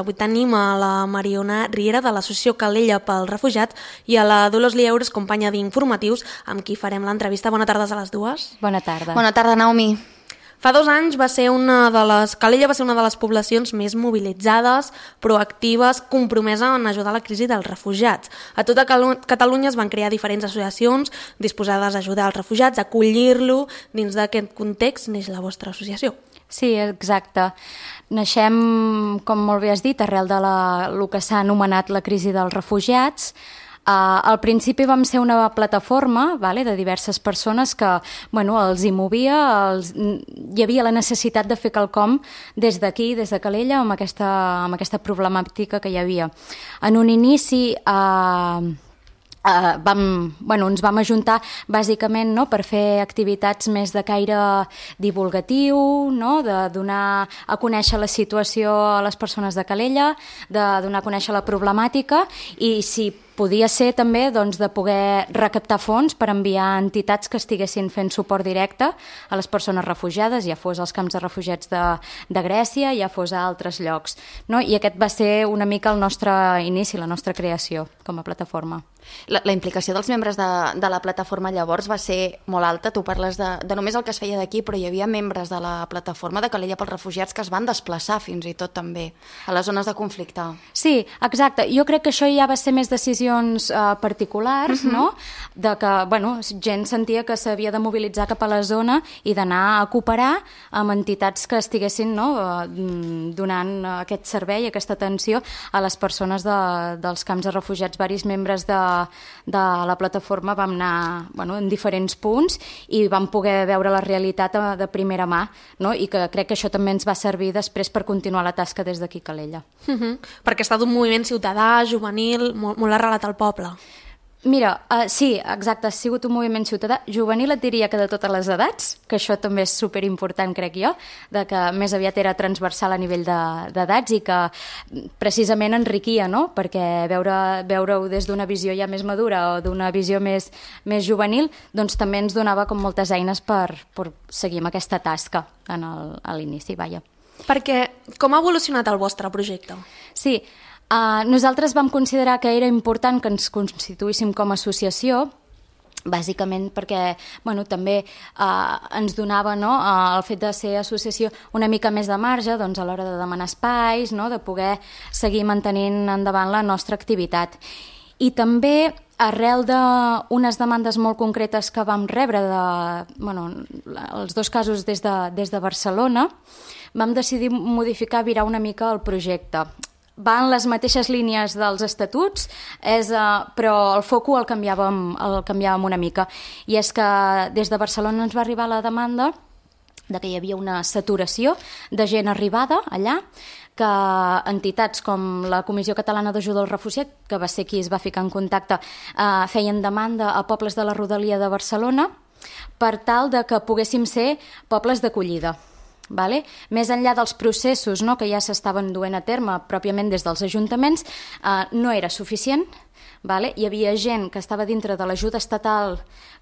Avui tenim a la Mariona Riera de l'associació Calella pels Refugiats i a la Dolors Lieures, companya d'Informatius, amb qui farem l'entrevista. Bona tarda a les dues. Bona tarda. Bona tarda, Naomi. Fa 2 anys Calella va ser una de les poblacions més mobilitzades, proactives, compromesa en ajudar a la crisi dels refugiats. A tota Catalunya es van crear diferents associacions disposades a ajudar els refugiats, a acollir-lo. Dins d'aquest context neix la vostra associació. Sí, exacte. Naixem, com molt bé has dit, arrel de el que s'ha anomenat la crisi dels refugiats. Al principi vam ser una plataforma de diverses persones que els hi movia, hi havia la necessitat de fer quelcom des d'aquí, des de Calella, amb aquesta problemàtica que hi havia. En un inici ens vam ajuntar bàsicament per fer activitats més de caire divulgatiu, de donar a conèixer la situació a les persones de Calella, de donar a conèixer la problemàtica i si podia ser també de poder recaptar fons per enviar a entitats que estiguessin fent suport directe a les persones refugiades, ja fos als camps de refugiats de Grècia, ja fos a altres llocs. I aquest va ser una mica el nostre inici, la nostra creació com a plataforma. La implicació dels membres de la plataforma llavors va ser molt alta. Tu parles de només el que es feia d'aquí, però hi havia membres de la plataforma de Calella pels Refugiats que es van desplaçar fins i tot també a les zones de conflicte. Sí, exacte. Jo crec que això ja va ser més decisions particulars, de que gent sentia que s'havia de mobilitzar cap a la zona i d'anar a cooperar amb entitats que estiguessin donant aquest servei, aquesta atenció a les persones dels camps de refugiats. Varis membres de la plataforma vam anar en diferents punts i vam poder veure la realitat de primera mà, i que crec que això també ens va servir després per continuar la tasca des d'aquí a Calella. Perquè ha estat un moviment ciutadà, juvenil, molt arrelat al poble. Mira, sí, exacte, ha sigut un moviment ciutadà. Juvenil et diria que de totes les edats, que això també és superimportant, crec jo, de que més aviat era transversal a nivell d'edats i que precisament enriquia, perquè veure-ho des d'una visió ja més madura o d'una visió més juvenil, doncs també ens donava com moltes eines per seguir amb aquesta tasca a l'inici, Perquè com ha evolucionat el vostre projecte? Sí, nosaltres vam considerar que era important que ens constituíssim com a associació, bàsicament perquè també ens donava el fet de ser associació una mica més de marge a l'hora de demanar espais, de poder seguir mantenint endavant la nostra activitat. I també arrel d'unes demandes molt concretes que vam rebre els 2 casos des de Barcelona, vam decidir modificar, virar una mica el projecte. Va en les mateixes línies dels estatuts, però el foco el canviàvem una mica. I és que des de Barcelona ens va arribar la demanda de que hi havia una saturació de gent arribada allà, que entitats com la Comissió Catalana d'Ajuda al Refugiat, que va ser qui es va ficar en contacte, feien demanda a pobles de la rodalia de Barcelona per tal de que poguéssim ser pobles d'acollida. Més enllà dels processos que ja s'estaven duent a terme pròpiament des dels ajuntaments, no era suficient. Hi havia gent que estava dintre de l'ajuda estatal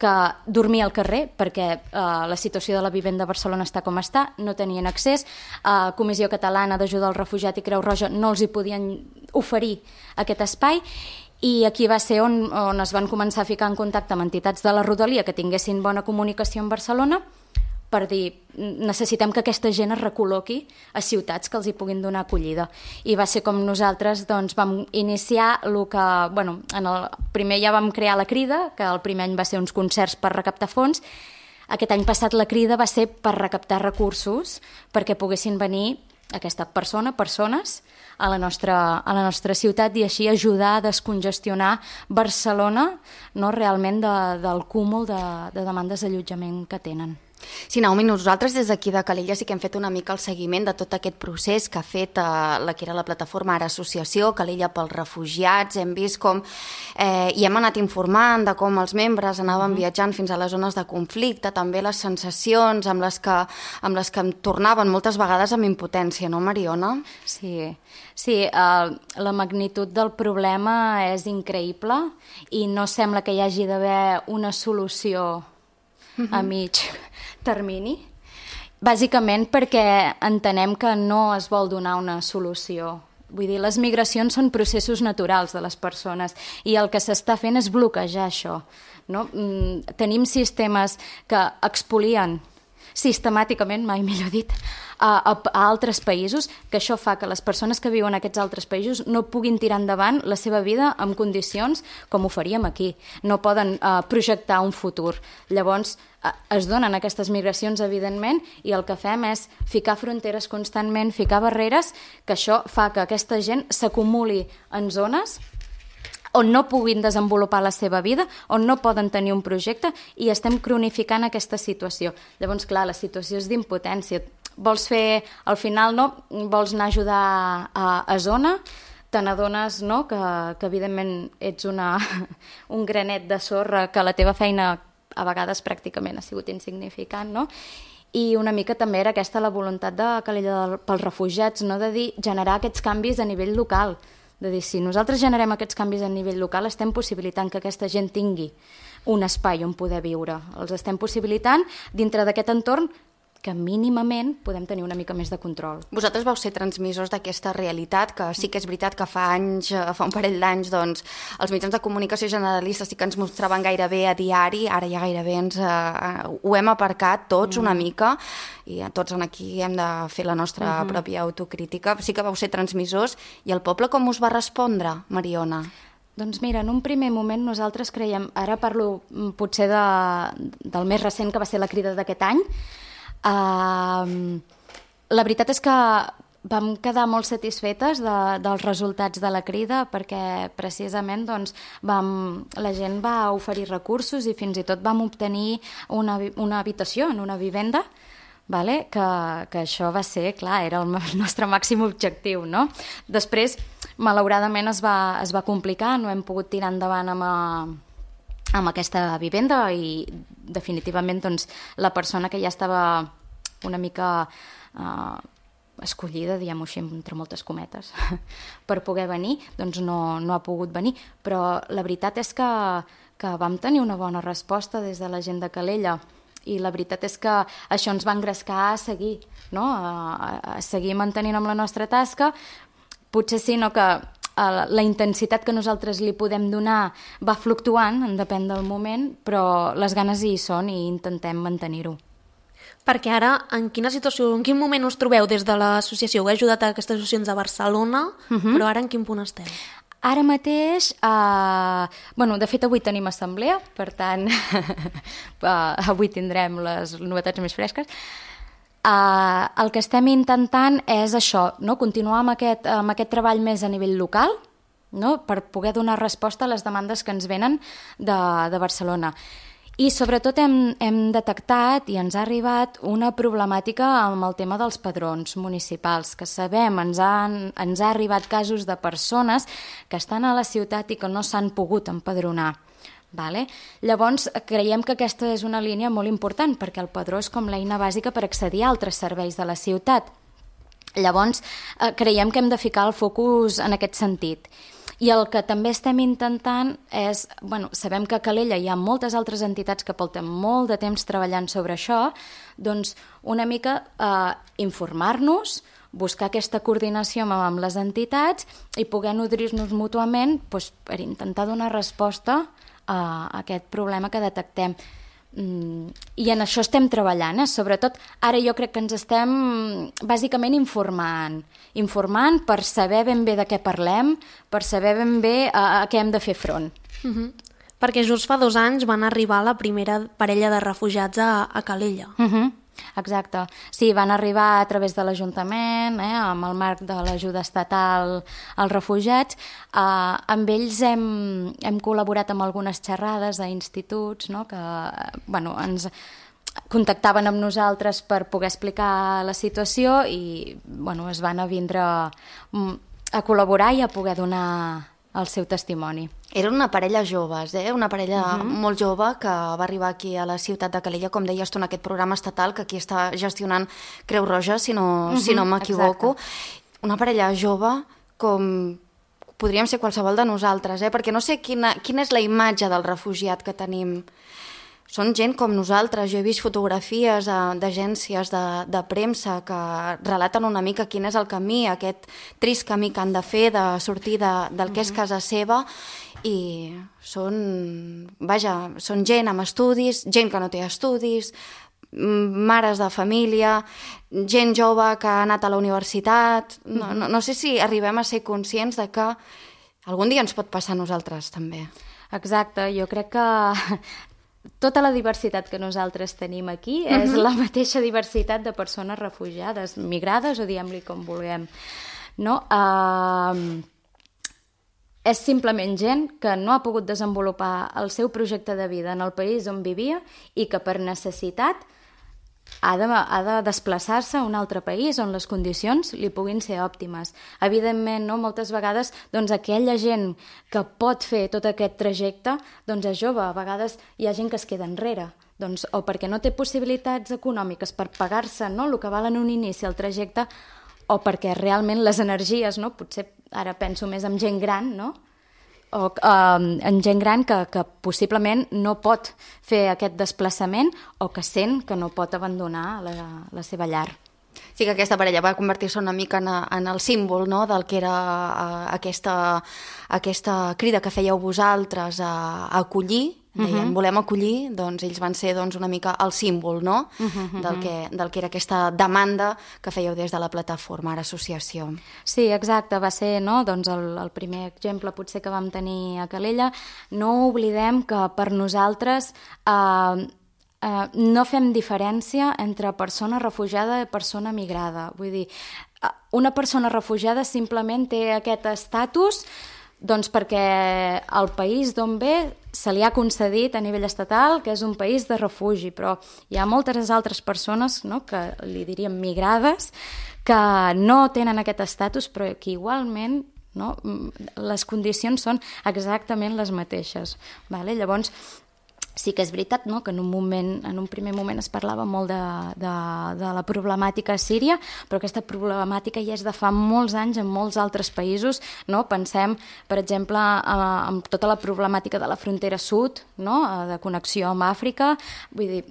que dormia al carrer perquè la situació de la vivenda a Barcelona està com està, no tenien accés, Comissió Catalana d'Ajuda al Refugiat i Creu Roja no els hi podien oferir aquest espai. I aquí va ser on es van començar a ficar en contacte amb entitats de la rodalia que tinguessin bona comunicació amb Barcelona per dir, necessitem que aquesta gent es recol·loqui a ciutats que els hi puguin donar acollida. I va ser com nosaltres vam iniciar el que... primer ja vam crear la Crida, que el primer any va ser uns concerts per recaptar fons. Aquest any passat la Crida va ser per recaptar recursos perquè poguessin venir persones a la nostra ciutat i així ajudar a descongestionar Barcelona realment del cúmul de demandes d'allotjament que tenen. Sí, Naomi, nosaltres des d'aquí de Calella sí que hem fet una mica el seguiment de tot aquest procés que ha fet la que era la plataforma, ara associació, Calella pels Refugiats. Hem vist com i hem anat informant de com els membres anaven viatjant fins a les zones de conflicte, també les sensacions amb les que em tornaven moltes vegades amb impotència, no, Mariona? Sí, la magnitud del problema és increïble i no sembla que hi hagi d'haver una solució a mig termini, bàsicament perquè entenem que no es vol donar una solució Vull dir, les migracions són processos naturals de les persones i el que s'està fent és bloquejar això. No? Tenim sistemes que expolien sistemàticament, mai millor dit, a altres països, que això fa que les persones que viuen en aquests altres països no puguin tirar endavant la seva vida en condicions com ho faríem aquí. No poden projectar un futur. Llavors, es donen aquestes migracions, evidentment, i el que fem és ficar fronteres constantment, ficar barreres, que això fa que aquesta gent s'acumuli en zones on no puguin desenvolupar la seva vida, on no poden tenir un projecte, i estem cronificant aquesta situació. Llavors, clar, la situació és d'impotència. Vols fer, al final, no? Vols anar a ajudar a zona, te n'adones, no? que evidentment ets un granet de sorra, que la teva feina a vegades pràcticament ha sigut insignificant, no? I una mica també era aquesta la voluntat de Calella pels refugiats, no? De dir, generar aquests canvis a nivell local, de dir, si nosaltres generem aquests canvis a nivell local, estem possibilitant que aquesta gent tingui un espai on poder viure. Els estem possibilitant dintre d'aquest entorn que mínimament podem tenir una mica més de control. Vosaltres vau ser transmissors d'aquesta realitat, que sí que és veritat que fa un parell d'anys, doncs, els mitjans de comunicació generalistes sí que ens mostraven gairebé a diari, ara ja gairebé ho hem aparcat tots una mica, i tots aquí hem de fer la nostra pròpia autocrítica. Sí que vau ser transmissors, i el poble com us va respondre, Mariona? Doncs mira, en un primer moment nosaltres creiem, ara parlo potser del més recent, que va ser la crida d'aquest any. La veritat és que vam quedar molt satisfetes dels resultats de la crida, perquè precisament doncs, la gent va oferir recursos i fins i tot vam obtenir una habitació en una vivenda, vale? Que això va ser, clar, era el nostre màxim objectiu, no? Després, malauradament, es va complicar, no hem pogut tirar endavant amb aquesta vivenda, i definitivament doncs, la persona que ja estava una mica escollida, diguem-ho així, entre moltes cometes, per poder venir, doncs no ha pogut venir. Però la veritat és que vam tenir una bona resposta des de la gent de Calella, i la veritat és que això ens va engrescar a seguir, no? A seguir mantenint amb la nostra tasca. Potser sí, no, que la intensitat que nosaltres li podem donar va fluctuant, depèn del moment, però les ganes hi són i intentem mantenir-ho. Perquè ara, en quina situació, en quin moment us trobeu des de l'associació? Heu ajudat a aquestes associacions a Barcelona, però ara en quin punt esteu? Ara mateix, de fet avui tenim assemblea, per tant, avui tindrem les novetats més fresques. El que estem intentant és això, no? Continuar amb aquest treball més a nivell local, no? Per poder donar resposta a les demandes que ens venen de Barcelona. I sobretot hem detectat i ens ha arribat una problemàtica amb el tema dels padrons municipals, que sabem, ens ha arribat casos de persones que estan a la ciutat i que no s'han pogut empadronar. Vale? Llavors, creiem que aquesta és una línia molt important, perquè el padró és com l'eina bàsica per accedir a altres serveis de la ciutat. Llavors, creiem que hem de ficar el focus en aquest sentit. I el que també estem intentant és, sabem que a Calella hi ha moltes altres entitats que porten molt de temps treballant sobre això, doncs una mica informar-nos, buscar aquesta coordinació amb les entitats i poder nodrir-nos mútuament per intentar donar resposta a aquest problema que detectem. I en això estem treballant, sobretot ara jo crec que ens estem bàsicament informant per saber ben bé de què parlem, per saber ben bé a què hem de fer front. Perquè just fa 2 anys van arribar la primera parella de refugiats a Calella. Exacte. Sí, van arribar a través de l'Ajuntament, amb el marc de l'ajuda estatal als refugiats. Amb ells hem col·laborat amb algunes xerrades a instituts, no? Que ens contactaven amb nosaltres per poder explicar la situació i es van a vindre a col·laborar i a poder donar el seu testimoni. Eren una parella joves, una parella molt jove que va arribar aquí a la ciutat de Calella, com deies tu, en aquest programa estatal que aquí està gestionant Creu Roja, si no m'equivoco. Exacte. Una parella jove com podríem ser qualsevol de nosaltres, perquè no sé quina és la imatge del refugiat que tenim són gent com nosaltres. Jo he vist fotografies d'agències de premsa que relaten una mica quin és el camí, aquest trist camí que han de fer de sortir del que és casa seva, i són gent amb estudis, gent que no té estudis, mares de família, gent jove que ha anat a la universitat. No sé si arribem a ser conscients de que algun dia ens pot passar a nosaltres també. Exacte, jo crec que tota la diversitat que nosaltres tenim aquí és la mateixa diversitat de persones refugiades, migrades o diguem-li com vulguem. No? És simplement gent que no ha pogut desenvolupar el seu projecte de vida en el país on vivia i que per necessitat ha de desplaçar-se a un altre país on les condicions li puguin ser òptimes. Evidentment, no? Moltes vegades aquella gent que pot fer tot aquest trajecte és jove, a vegades hi ha gent que es queda enrere, o perquè no té possibilitats econòmiques per pagar-se el que val en un inici el trajecte, o perquè realment les energies, potser ara penso més en gent gran, o en gent gran que possiblement no pot fer aquest desplaçament o que sent que no pot abandonar la seva llar. Sí que aquesta parella va convertir-se una mica en el símbol del que era aquesta crida que fèieu vosaltres a acollir. Deien, volem acollir, doncs ells van ser una mica el símbol del que era aquesta demanda que fèieu des de la plataforma Ara Associació. Sí, exacte, va ser el primer exemple potser que vam tenir a Calella. No oblidem que per nosaltres no fem diferència entre persona refugiada i persona migrada. Vull dir, una persona refugiada simplement té aquest estatus perquè el país d'on ve se li ha concedit a nivell estatal que és un país de refugi, però hi ha moltes altres persones que li diríem migrades que no tenen aquest estatus però que igualment les condicions són exactament les mateixes. Llavors, sí que és veritat que en un primer moment es parlava molt de la problemàtica a Síria, però aquesta problemàtica ja és de fa molts anys en molts altres països. Pensem, per exemple, en tota la problemàtica de la frontera sud, de connexió amb Àfrica, vull dir,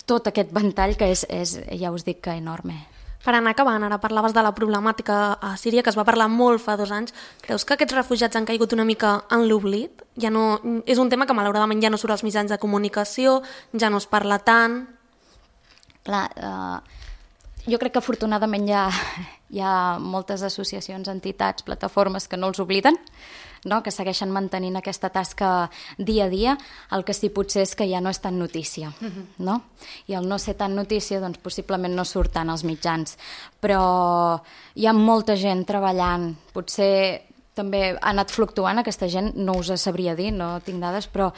tot aquest ventall que és, ja us dic que enorme. Per anar acabant, ara parlaves de la problemàtica a Síria, que es va parlar molt fa 2 anys. Creus que aquests refugiats han caigut una mica en l'oblit? És un tema que malauradament ja no surt als mitjans de comunicació, ja no es parla tant. Clar, jo crec que afortunadament hi ha moltes associacions, entitats, plataformes que no els obliden, que segueixen mantenint aquesta tasca dia a dia. El que sí potser és que ja no és tan notícia. I el no ser tan notícia, possiblement no surt tant als mitjans. Però hi ha molta gent treballant. Potser també ha anat fluctuant aquesta gent, no us sabria dir, no tinc dades, però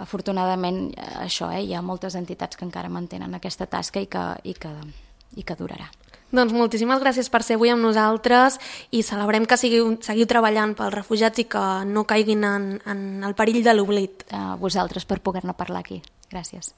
afortunadament això, hi ha moltes entitats que encara mantenen aquesta tasca i que durarà. Doncs moltíssimes gràcies per ser avui amb nosaltres i celebrem que seguiu treballant pels refugiats i que no caiguin en el perill de l'oblit. A vosaltres per poder-ne parlar aquí. Gràcies.